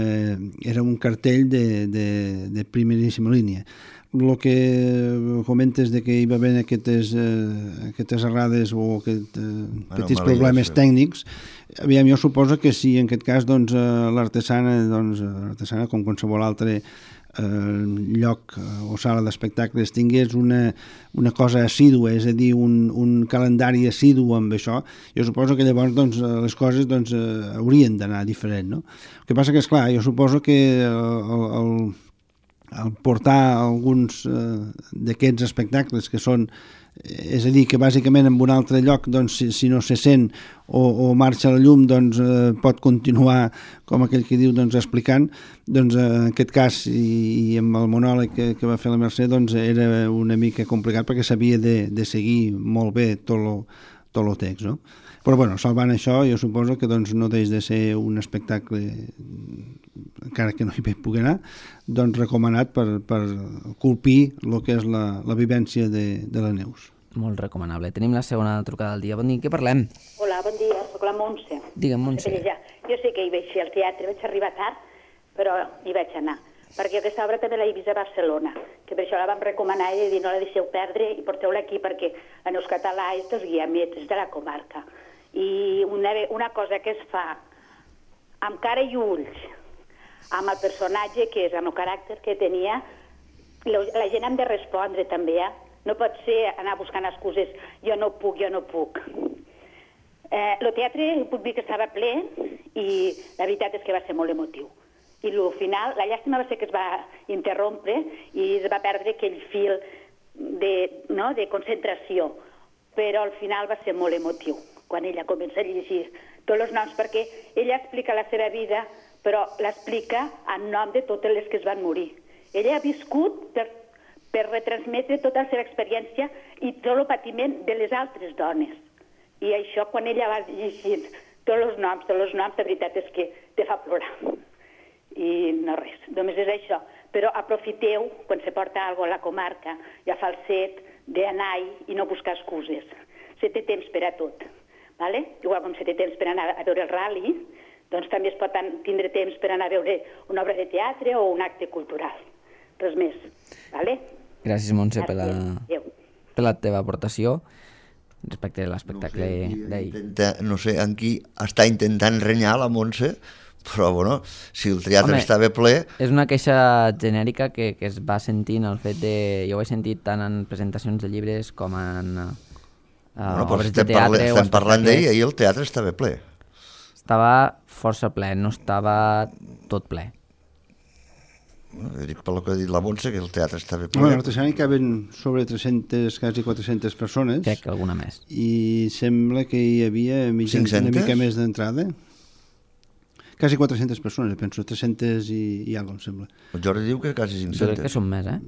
S3: era un cartell de, de, de primeríssima línia. El que comentes de que hi va haver aquestes, eh, aquestes errades o aquest, eh, petits problemes tècnics, aviam, jo suposo que si en aquest cas doncs, l'artesana, doncs, l'artesana com qualsevol altre lloc o sala d'espectacles tingués una, una cosa assídua, és a dir, un, un calendari assidu amb això, jo suposo que llavors doncs, les coses doncs, haurien d'anar diferent, no? El que passa que, esclar, jo suposo que el, el, el portar alguns eh, d'aquests espectacles que són, és a dir, que bàsicament en un altre lloc, doncs, si, si no se sent o, o marxa la llum, doncs eh, pot continuar, com aquell que diu, doncs, explicant, doncs eh, en aquest cas, i, i amb el monòleg que, que va fer la Mercè, doncs era una mica complicat perquè s'havia de, de seguir molt bé tot lo, tot lo text, no? Però, bueno, salvant això, jo suposo que doncs, no deix de ser un espectacle, encara que no hi vaig poder anar, doncs recomanat per, per colpir el que és la, la vivència de, de la Neus.
S1: Molt recomanable. Tenim la segona trucada del dia. Bon dia, què parlem?
S5: Hola, bon dia, soc la Montse.
S1: Digue'm, Montse.
S5: Jo sé que hi vaig fer al teatre, vaig arribar tard, però hi vaig anar. Perquè aquesta obra també l'he vist a Barcelona, que per això la vam recomanar i dir no la deixeu perdre i porteu-la aquí perquè la Neus Català és dels guiamets, és de la comarca. I una, una cosa que es fa amb cara i ulls, amb el personatge que és, amb el caràcter que tenia, la gent hem de respondre també, eh? No pot ser anar buscant excuses, jo no puc, jo no puc. Eh, el teatre, puc dir que estava ple i la veritat és que va ser molt emotiu. I al final, la llàstima va ser que es va interrompre i es va perdre aquell fil de, no, de concentració, però al final va ser molt emotiu, quan ella comença a llegir tots els noms, perquè ella explica la seva vida, però l'explica en nom de totes les que es van morir. Ella ha viscut per, per retransmetre tota la seva experiència i tot el patiment de les altres dones. I això, quan ella va llegir tots els noms, tots els noms, la veritat és que te fa plorar. I no res, només és això. Però aprofiteu, quan se porta alguna cosa a la comarca, ja fa el set, d'anar-hi i no buscar excuses. Se té temps per a tot. Vale? Igual com se té temps per anar a veure el rally, doncs també es pot tindre temps per anar a veure una obra de teatre o un acte cultural. Res més. Vale?
S1: Gràcies, Montse, per la, per la teva aportació respecte a l'espectacle
S2: no sé,
S1: d'ahir.
S2: No sé en qui està intentant renyar la Montse, però bueno, si el teatre Home, estava ple...
S1: És una queixa genèrica que, que es va sentint el fet de... Jo ho he sentit tant en presentacions de llibres com en... Uh,
S2: bueno, però estem, parla, estem parlant d'ahir, ahir el teatre estava ple.
S1: Estava força ple, no estava tot ple.
S2: Bueno, dic per lo que ha dit la Montse, que el teatre estava ple.
S3: Bueno, l'artesania hi caben sobre tres-centes, quasi quatre-centes persones.
S1: Crec que alguna més.
S3: I sembla que hi havia mitja, una mica més d'entrada. Quasi quatre-centes persones, penso, tres-centes i, i alguna cosa, em sembla.
S2: El Jordi diu que quasi cinc-centes.
S1: Jo crec que són més, eh?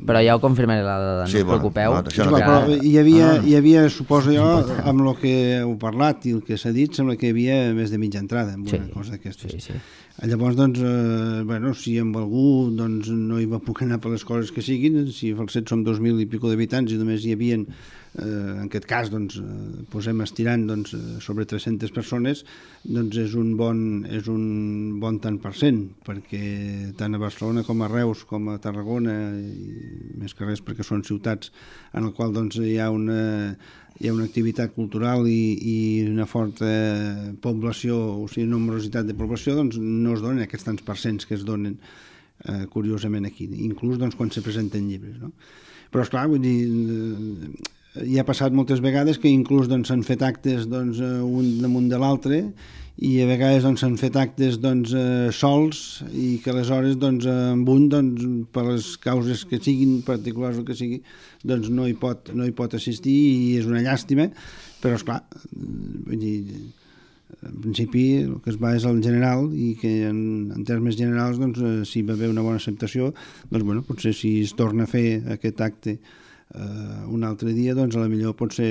S1: Però ja ho confirmaré la dada, no sí, us bueno, preocupeu.
S2: No,
S3: no,
S2: no,
S3: però hi havia, no, no. hi havia, suposo jo, amb el que heu parlat i el que s'ha dit, sembla que hi havia més de mitja entrada en una sí, cosa d'aquestes. Sí, sí. Llavors, doncs, eh, bueno, si amb algú doncs, no hi va poder anar per les coses que siguin, si al set som dos mil i pico d'habitants i només hi havien, eh, en aquest cas, doncs, eh, posem estirant doncs, sobre tres-centes persones, doncs és un bon, és un bon tant per cent, perquè tant a Barcelona com a Reus, com a Tarragona, i més que res perquè són ciutats en el qual doncs, hi ha una... hi ha una activitat cultural i, i una forta població, o sigui, nombrositat de població, doncs no es donen aquests tants percents que es donen eh, curiosament aquí, inclús doncs, quan se presenten llibres, no? Però, esclar, vull dir, eh, hi ha passat moltes vegades que inclús doncs, s'han fet actes doncs, un damunt de l'altre i a vegades doncs, s'han fet actes doncs, eh, sols i que aleshores doncs, amb un, doncs, per les causes que siguin, particulars o que sigui, doncs no hi pot, no hi pot assistir i és una llàstima, però esclar, vull dir, en principi el que es va és el general i que en, en termes generals doncs, si va haver una bona acceptació, doncs bueno, potser si es torna a fer aquest acte Uh, un altre dia, doncs, a la millor pot ser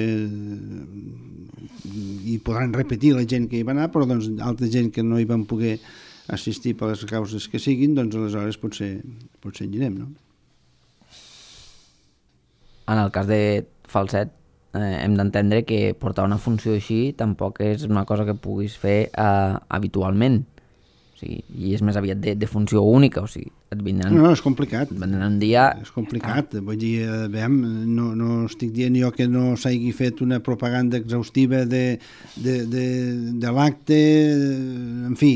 S3: i podran repetir la gent que hi va anar, però doncs altra gent que no hi van poder assistir per les causes que siguin, doncs aleshores potser, potser en anirem, no?
S1: En el cas de Falset, eh, hem d'entendre que portar una funció així tampoc és una cosa que puguis fer eh, habitualment. O sigui, i és més aviat de, de funció única, o sigui, et vindran...
S3: No, no, és complicat.
S1: Et vindran un dia...
S3: És complicat, ah. vull dir, veiem, no, no estic dient jo que no s'hagi fet una propaganda exhaustiva de, de, de, de l'acte, en fi,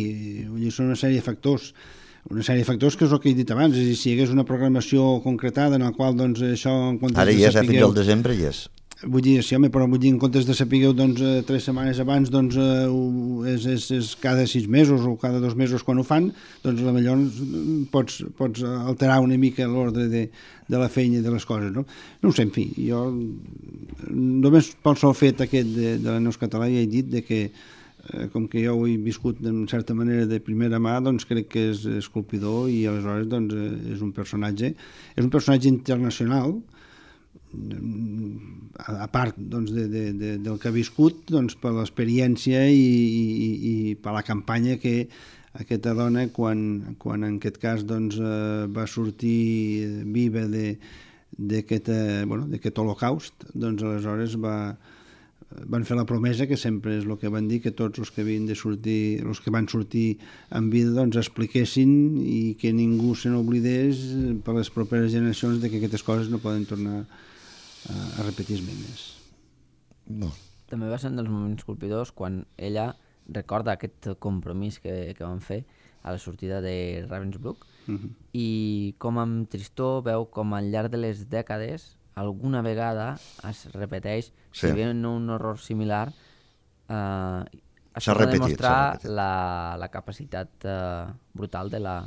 S3: vull dir, són una sèrie de factors, una sèrie de factors que és el que he dit abans, és a dir, si hi hagués una programació concretada en la qual, doncs, això... En
S2: Ara hi és, sapigueu, fins al desembre hi és.
S3: Vull dir, sí, home, però vull dir, en comptes de sapigueu doncs, eh, tres setmanes abans, doncs eh, és, és, és cada sis mesos o cada dos mesos quan ho fan, doncs potser pots, pots alterar una mica l'ordre de, de la feina i de les coses, no? No ho sé, en fi, jo només pel sol fet aquest de, de la Neus Català ja he dit de que eh, com que jo ho he viscut en certa manera de primera mà, doncs crec que és esculpidor i aleshores doncs, és un personatge, és un personatge internacional, a part doncs, de, de, de, del que ha viscut, doncs, per l'experiència i, i, i per la campanya que aquesta dona, quan, quan en aquest cas doncs, eh, va sortir viva d'aquest bueno, holocaust, doncs aleshores va, van fer la promesa, que sempre és el que van dir, que tots els que havien de sortir, els que van sortir en vida, doncs expliquessin i que ningú se n'oblidés per les properes generacions de que aquestes coses no poden tornar a repetir-me més.
S2: No.
S1: També va ser un dels moments colpidors quan ella recorda aquest compromís que, que van fer a la sortida de Ravensbrück uh-huh. i com amb tristor veu com al llarg de les dècades alguna vegada es repeteix, sí. Si ve un horror similar, eh, es pot demostrar la, la capacitat eh, brutal de, la,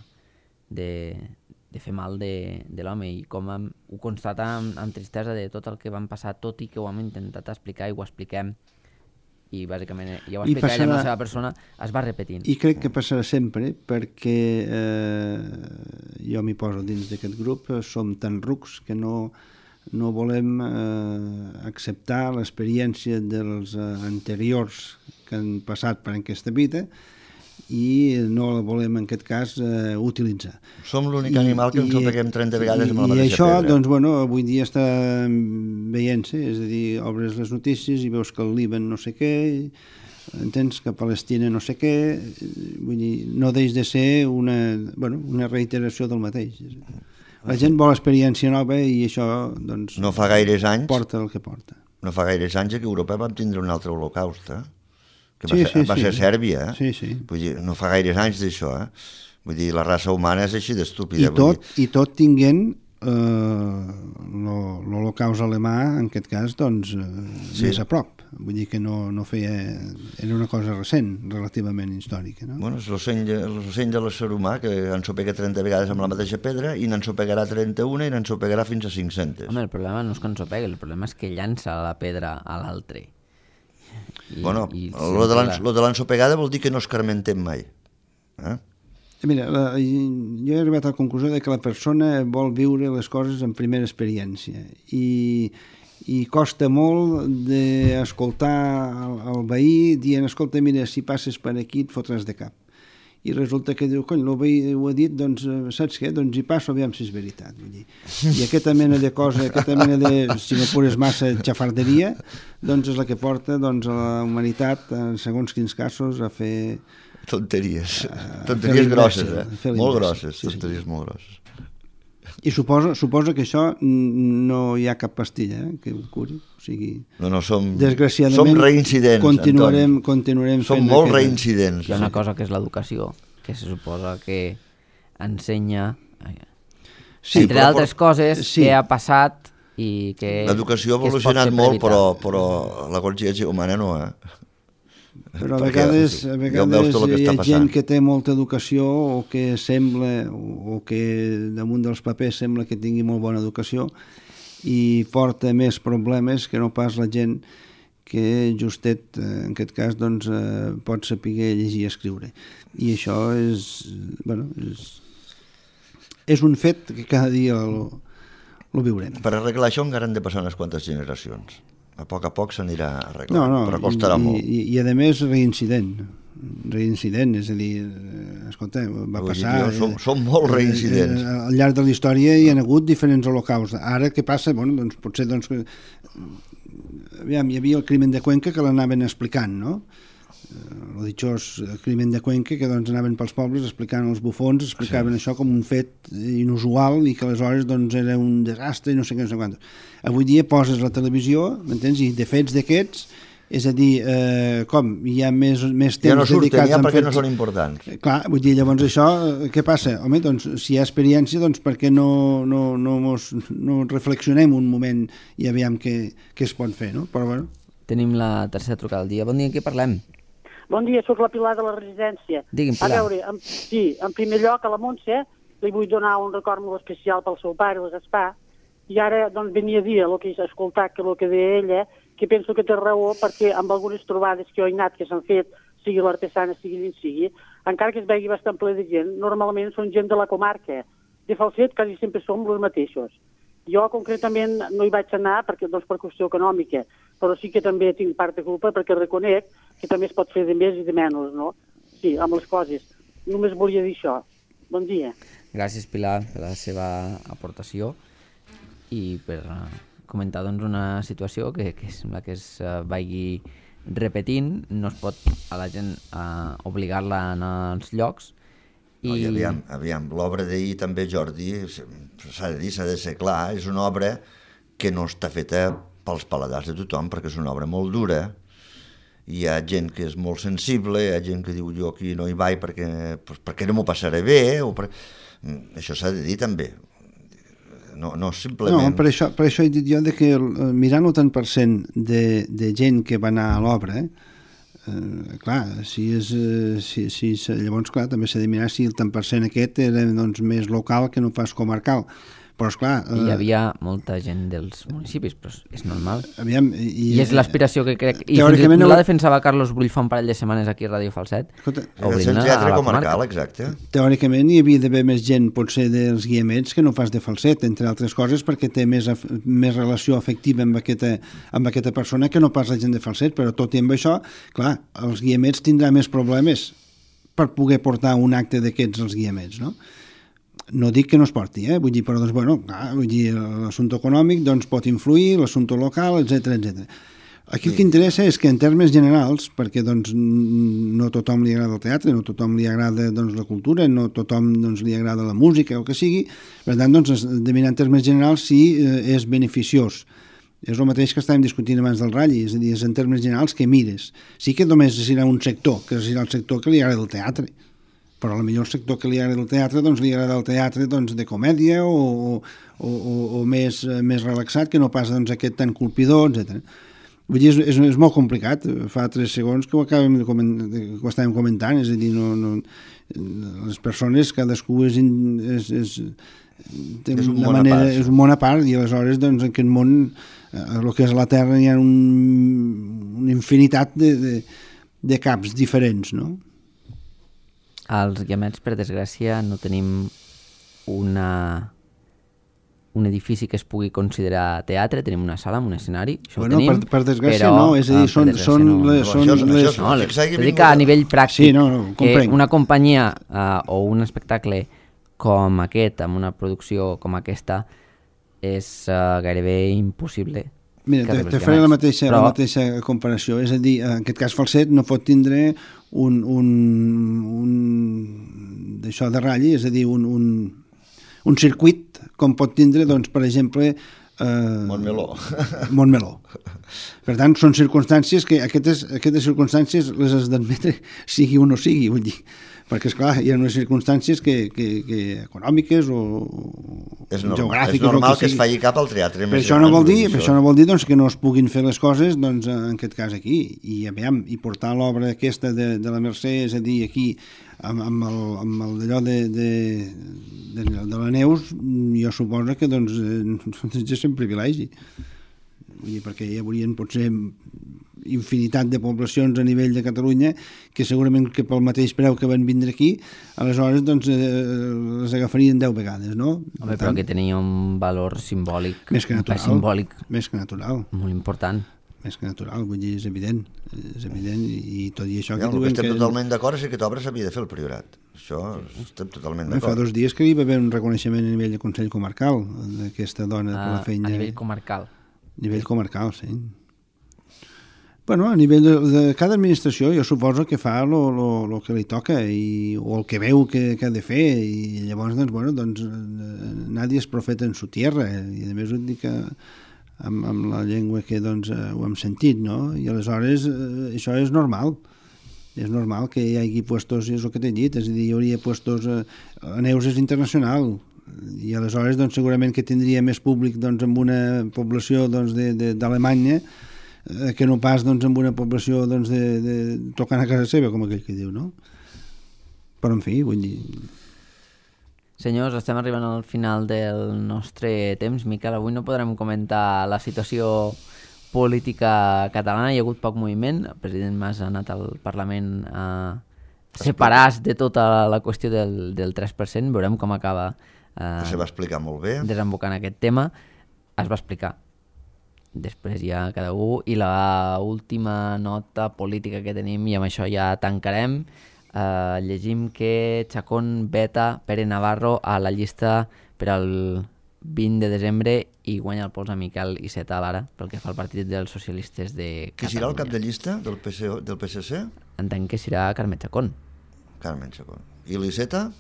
S1: de, de fer mal de, de l'home i com hem, ho constata amb, amb tristesa de tot el que van passar, tot i que ho hem intentat explicar i ho expliquem i bàsicament ja ho explica passarà, ella amb la seva persona, es va repetint.
S3: I crec que passarà sempre perquè eh, jo m'hi poso dins d'aquest grup, som tan rucs que no, no volem eh, acceptar l'experiència dels eh, anteriors que han passat per aquesta vida i no la volem en aquest cas eh, utilitzar.
S2: Som l'únic animal que ens ho peguem trenta vegades amb la
S3: I
S2: mateixa
S3: això,
S2: pedra.
S3: doncs, bueno, avui dia està veient-se, és a dir, obres les notícies i veus que el Líban no sé què, entens que Palestina no sé què, vull dir, no deix de ser una, bueno, una reiteració del mateix. La gent vol experiència nova i això, doncs,
S2: no fa gaires anys,
S3: porta el que porta.
S2: No fa gaires anys que a Europa vam tindre un altre holocaust, eh? que
S3: sí,
S2: va, ser,
S3: sí,
S2: va
S3: sí.
S2: ser Sèrbia, eh?
S3: Sí, sí.
S2: Vull dir, no fa gaires anys d'això, eh? Vull dir, la raça humana és així d'estúpida.
S3: I tot, i tot tinguent eh, l'holocaust alemà, en aquest cas, doncs, eh, sí. més a prop. Vull dir que no, no feia... Era una cosa recent, relativament històrica, no?
S2: Bueno, és l'ocell de l'ésser humà, que ensopega trenta vegades amb la mateixa pedra i n'ensopegarà trenta-una i n'ensopegarà fins a cinc-centes.
S1: Home, el problema no és que ensopegui, el problema és que llança la pedra a l'altre.
S2: I, bueno, el de l'ensopegada vol dir que no escarmentem mai. Eh?
S3: Mira, la, jo he arribat a la conclusió de que la persona vol viure les coses en primera experiència i, i costa molt d'escoltar el, el veí dient, escolta, mira, si passes per aquí et fotràs de cap. I resulta que diu, cony, el veí ho ha dit, doncs saps què? Doncs hi passo, aviam si és veritat. Vull dir. I aquesta mena de cosa, aquesta mena de, si no pures massa xafarderia, doncs és la que porta doncs, a la humanitat, en segons quins casos, a fer...
S2: Tonteries, uh, tonteries grosses, eh? Molt grosses,
S3: sí,
S2: tonteries
S3: sí.
S2: molt grosses.
S3: I suposo, suposo que això no hi ha cap pastilla eh, que ho curi. O sigui,
S2: no, no, som,
S3: desgraciadament,
S2: som reincidents,
S3: continuarem, continuarem
S2: som
S3: fent...
S2: molt
S3: aquesta...
S2: reincidents.
S1: Hi ha una cosa que és l'educació, que se suposa que ensenya, sí, entre però, altres coses, sí. que ha passat i que...
S2: L'educació ha evolucionat molt, però, però la consciència humana no, eh?
S3: Però a vegades, a vegades hi ha gent que té molta educació o que sembla, o que damunt dels papers sembla que tingui molt bona educació i porta més problemes que no pas la gent que justet, en aquest cas, doncs, pot saber llegir i escriure. I això és, bueno, és, és un fet que cada dia el, ho viurem.
S2: Per arreglar això encara han de passar unes quantes generacions. A poc a poc s'anirà arreglant,
S3: no, no,
S2: però costarà
S3: i,
S2: molt.
S3: I, i a més reincident. Reincident, és a dir, escolta, va
S2: Vull
S3: passar...
S2: dir, som, som molt reincidents.
S3: Eh, al llarg de la història hi ha hagut diferents holocausts. Ara què passa? Bueno, doncs potser doncs, aviam, hi havia el crimen de Cuenca que l'anaven explicant, no? El ditxós crimen de Cuenca, que doncs anaven pels pobles explicant els bufons, explicaven sí. això com un fet inusual i que aleshores doncs era un desastre i no sé què, no sé quant. Avui dia poses la televisió, m'entens? I de fets d'aquests, és a dir, eh, com hi ha més, més temps
S2: ja no surten,
S3: dedicats
S2: ja
S3: a
S2: perquè
S3: fets...
S2: no són importants.
S3: Clar, vull dir, llavors això, què passa? Home, doncs, si hi ha experiència, doncs per què no, no, no, mos, no reflexionem un moment i aviam què, què es pot fer, no? Però, bueno.
S1: Tenim la tercera trucada del dia. Bon dia, en què parlem?
S6: Bon dia, sóc la Pilar de la residència.
S1: Digui'm, Pilar.
S6: A veure, en, sí, en primer lloc, a la Montse li vull donar un record molt especial pel seu pare, el Gaspar, i ara doncs, venia a dir el que he escoltat, que el que deia ella, que penso que té raó, perquè amb algunes trobades que jo he anat que s'han fet, sigui l'artesana, sigui d'in sigui, encara que es vegi bastant ple de gent, normalment són gent de la comarca. De Falset quasi sempre som els mateixos. Jo concretament no hi vaig anar perquè, doncs, per qüestió econòmica, però sí que també tinc part de culpa perquè reconec que també es pot fer de més i de menys, no? Sí, amb les coses. Només volia dir això. Bon dia.
S1: Gràcies, Pilar, per la seva aportació i per comentar doncs, una situació que, que sembla que es uh, vagi repetint. No es pot a la gent uh, obligar-la a anar als llocs. I...
S2: No, i aviam, aviam, l'obra d'ahir també, Jordi, s'ha de dir, s'ha de ser clar, és una obra que no està feta pels paladars de tothom, perquè és una obra molt dura. Hi ha gent que és molt sensible, hi ha gent que diu jo aquí no hi vaig perquè, pues, perquè no m'ho passaré bé, o per... això s'ha de dir també. No, no simplement...
S3: No, per això, per això he dit jo de que mirant el tant per cent de, de gent que va anar a l'obra, eh, clar, si és, si, si, llavors clar, també s'ha de mirar si el tant per cent aquest era doncs, més local que no pas comarcal. Però, esclar...
S1: I hi havia molta gent dels municipis, però és normal.
S3: Aviam, i,
S1: I és l'aspiració que crec... I fins i tot no la defensava Carlos Brull fa un parell de setmanes aquí a Ràdio Falset.
S2: Escolta, és el teatre comarcal, exacte.
S3: Teòricament hi havia d'haver més gent, potser dels guiamets, que no pas de Falset, entre altres coses, perquè té més, més relació afectiva amb aquesta, amb aquesta persona que no pas la gent de Falset, però tot i amb això, clar, els guiamets tindran més problemes per poder portar un acte d'aquests als guiamets, no? No dic que no es porti, eh? Vull dir, però doncs, bueno, clar, vull dir, l'assumpte econòmic doncs, pot influir, l'assumpte local, etcètera, etcètera. Aquí el que interessa és que en termes generals, perquè doncs, no tothom li agrada el teatre, no tothom li agrada doncs, la cultura, no tothom doncs, li agrada la música o el que sigui, per tant, doncs, de mirar en termes generals si eh, és beneficiós. És el mateix que estàvem discutint abans del Ralli, és a dir, és en termes generals que mires. Sí que només serà un sector, que serà el sector que li agrada el teatre, però a la millor sector que li agrada el teatre doncs li agrada el teatre doncs, de comèdia o, o, o, o més, més relaxat, que no pas doncs, aquest tan colpidor, etcètera. Vull dir, és, és, és molt complicat. Fa tres segons que ho acabem de comentar, que ho estàvem comentant, és a dir, no, no, les persones, cadascú és, és, és, té
S2: és, un
S3: una manera, és un món a part, i aleshores doncs, en aquest món, el que és la Terra, hi ha un, una infinitat de, de, de caps diferents, no?
S1: Als Guiamets, per desgràcia, no tenim una, un edifici que es pugui considerar teatre, tenim una sala amb un escenari, això
S3: bueno,
S1: ho tenim,
S3: per, per desgràcia
S1: però,
S3: no, és a dir, són, són,
S1: no.
S3: les, són
S2: això,
S3: les...
S2: això,
S1: No,
S2: això,
S1: les, dic a nivell pràctic,
S3: sí, no, no,
S1: que una companyia uh, o un espectacle com aquest, amb una producció com aquesta, és uh, gairebé impossible.
S3: Mira, te, te faré la mateixa, però... la mateixa comparació. És a dir, en aquest cas Falset no pot tindre un, un, un d'això de ratll, és a dir, un, un, un circuit com pot tindre, doncs, per exemple... Eh,
S2: Montmeló.
S3: Montmeló. Per tant, són circumstàncies que aquestes, aquestes circumstàncies les has d'admetre sigui o no sigui, vull dir, perquè, esclar, hi ha unes circumstàncies que, que, que econòmiques o
S2: és normal,
S3: geogràfiques...
S2: És normal
S3: que,
S2: que es faci cap al teatre.
S3: Per això no vol dir, per això no vol dir doncs, que no es puguin fer les coses doncs, en aquest cas aquí. I, aviam, i portar l'obra aquesta de, de la Mercè, és a dir, aquí, amb, amb, el, amb el d'allò de, de, de, de la Neus, jo suposo que doncs, és un privilegi. Vull dir, perquè hi haurien potser infinitat de poblacions a nivell de Catalunya que segurament que pel mateix preu que van vindre aquí, aleshores doncs, eh, les agafarien deu vegades, no?
S1: Home, però que tenia un valor simbòlic,
S3: més que natural,
S1: simbòlic
S3: més que natural.
S1: molt important.
S3: Més que natural, vull dir, és evident, és evident, i, i tot i això...
S2: Ja,
S3: que
S2: el que estem
S3: que...
S2: totalment d'acord és que l'obra s'havia de fer el Priorat. Això estem totalment
S3: Fa
S2: d'acord.
S3: dos dies que hi va haver un reconeixement a nivell de Consell Comarcal d'aquesta dona per la
S1: A,
S3: feina.
S1: a nivell comarcal.
S3: A nivell comarcal, sí. Bueno, a nivell de, de cada administració jo suposo que fa el que li toca i, o el que veu que, que ha de fer, i llavors, doncs, bueno, doncs, nadie es profeta en su tierra, i a més ho dic que amb, amb la llengua que doncs, ho hem sentit, no? I aleshores eh, això és normal. És normal que hi hagi puestos, és el que t'he dit, és a dir, hi hauria puestos, eh, a Neus és internacional, i aleshores doncs, segurament que tindria més públic doncs, amb una població doncs, d'Alemanya eh, que no pas doncs, amb una població doncs, de, de, tocant a casa seva, com aquell que diu, no? Però, en fi, vull dir...
S1: Senyors, estem arribant al final del nostre temps. Miquel, avui no podrem comentar la situació política catalana, hi ha hagut poc moviment, el president Mas ha anat al Parlament a separar-se de tota la qüestió del, del tres per cent, veurem com acaba eh,
S2: Se va explicar molt bé.
S1: desembocant aquest tema. Es va explicar. Després ja cada un, i la última nota política que tenim, i amb això ja tancarem, Uh, llegim que Chacón veta Pere Navarro a la llista per al vint de desembre i guanya el pols a Miquel Iceta a l'ara pel que fa al partit dels socialistes de Catalunya.
S2: Qui serà el cap de llista del, P C, del P S C?
S1: Entenc que serà Carme Chacón.
S2: Carmen Chacón. I l'Iceta?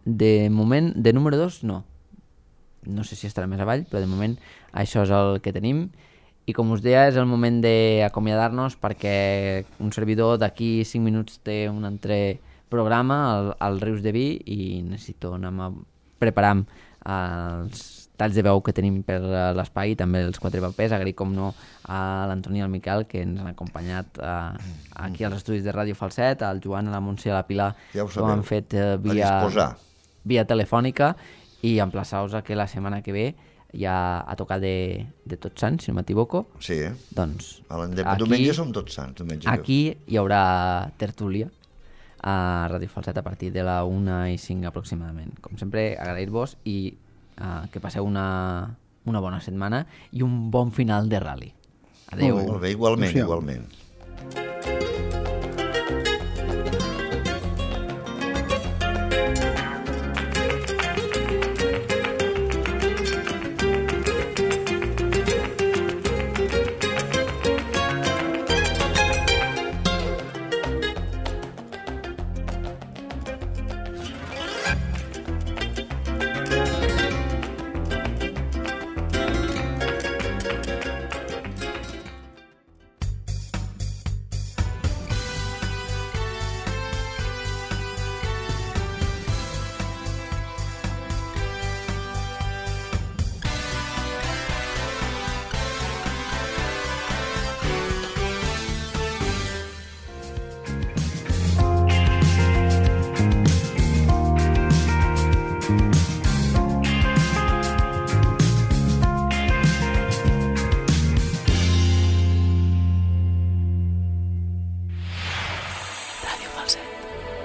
S1: De moment, de número dos, no. No sé si estarà més avall, però de moment això és el que tenim. I com us deia, és el moment d'acomiadar-nos perquè un servidor d'aquí cinc minuts té un altre programa al, al Rius de Vi i necessito anar a preparar els talls de veu que tenim per l'espai, també els quatre papers, agrair com no a l'Antoni i al Miquel que ens han acompanyat a, aquí als estudis de Ràdio Falset, al Joan, a la Montse i a la Pilar,
S2: ja
S1: que ho han fet eh, via, via telefònica, i emplaçar-vos a que la setmana que ve ja a tocar de, de Tots Sants, si no m'equivoco.
S2: Sí, eh?
S1: Doncs
S2: aquí, diumenge som Tots Sants. Diumenge
S1: aquí hi haurà tertúlia a Ràdio Falset a partir de la una i cinc aproximadament. Com sempre, agrair-vos i uh, que passeu una, una bona setmana i un bon final de rally. Adéu.
S2: Molt bé, molt bé, igualment, igualment.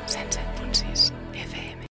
S7: Sense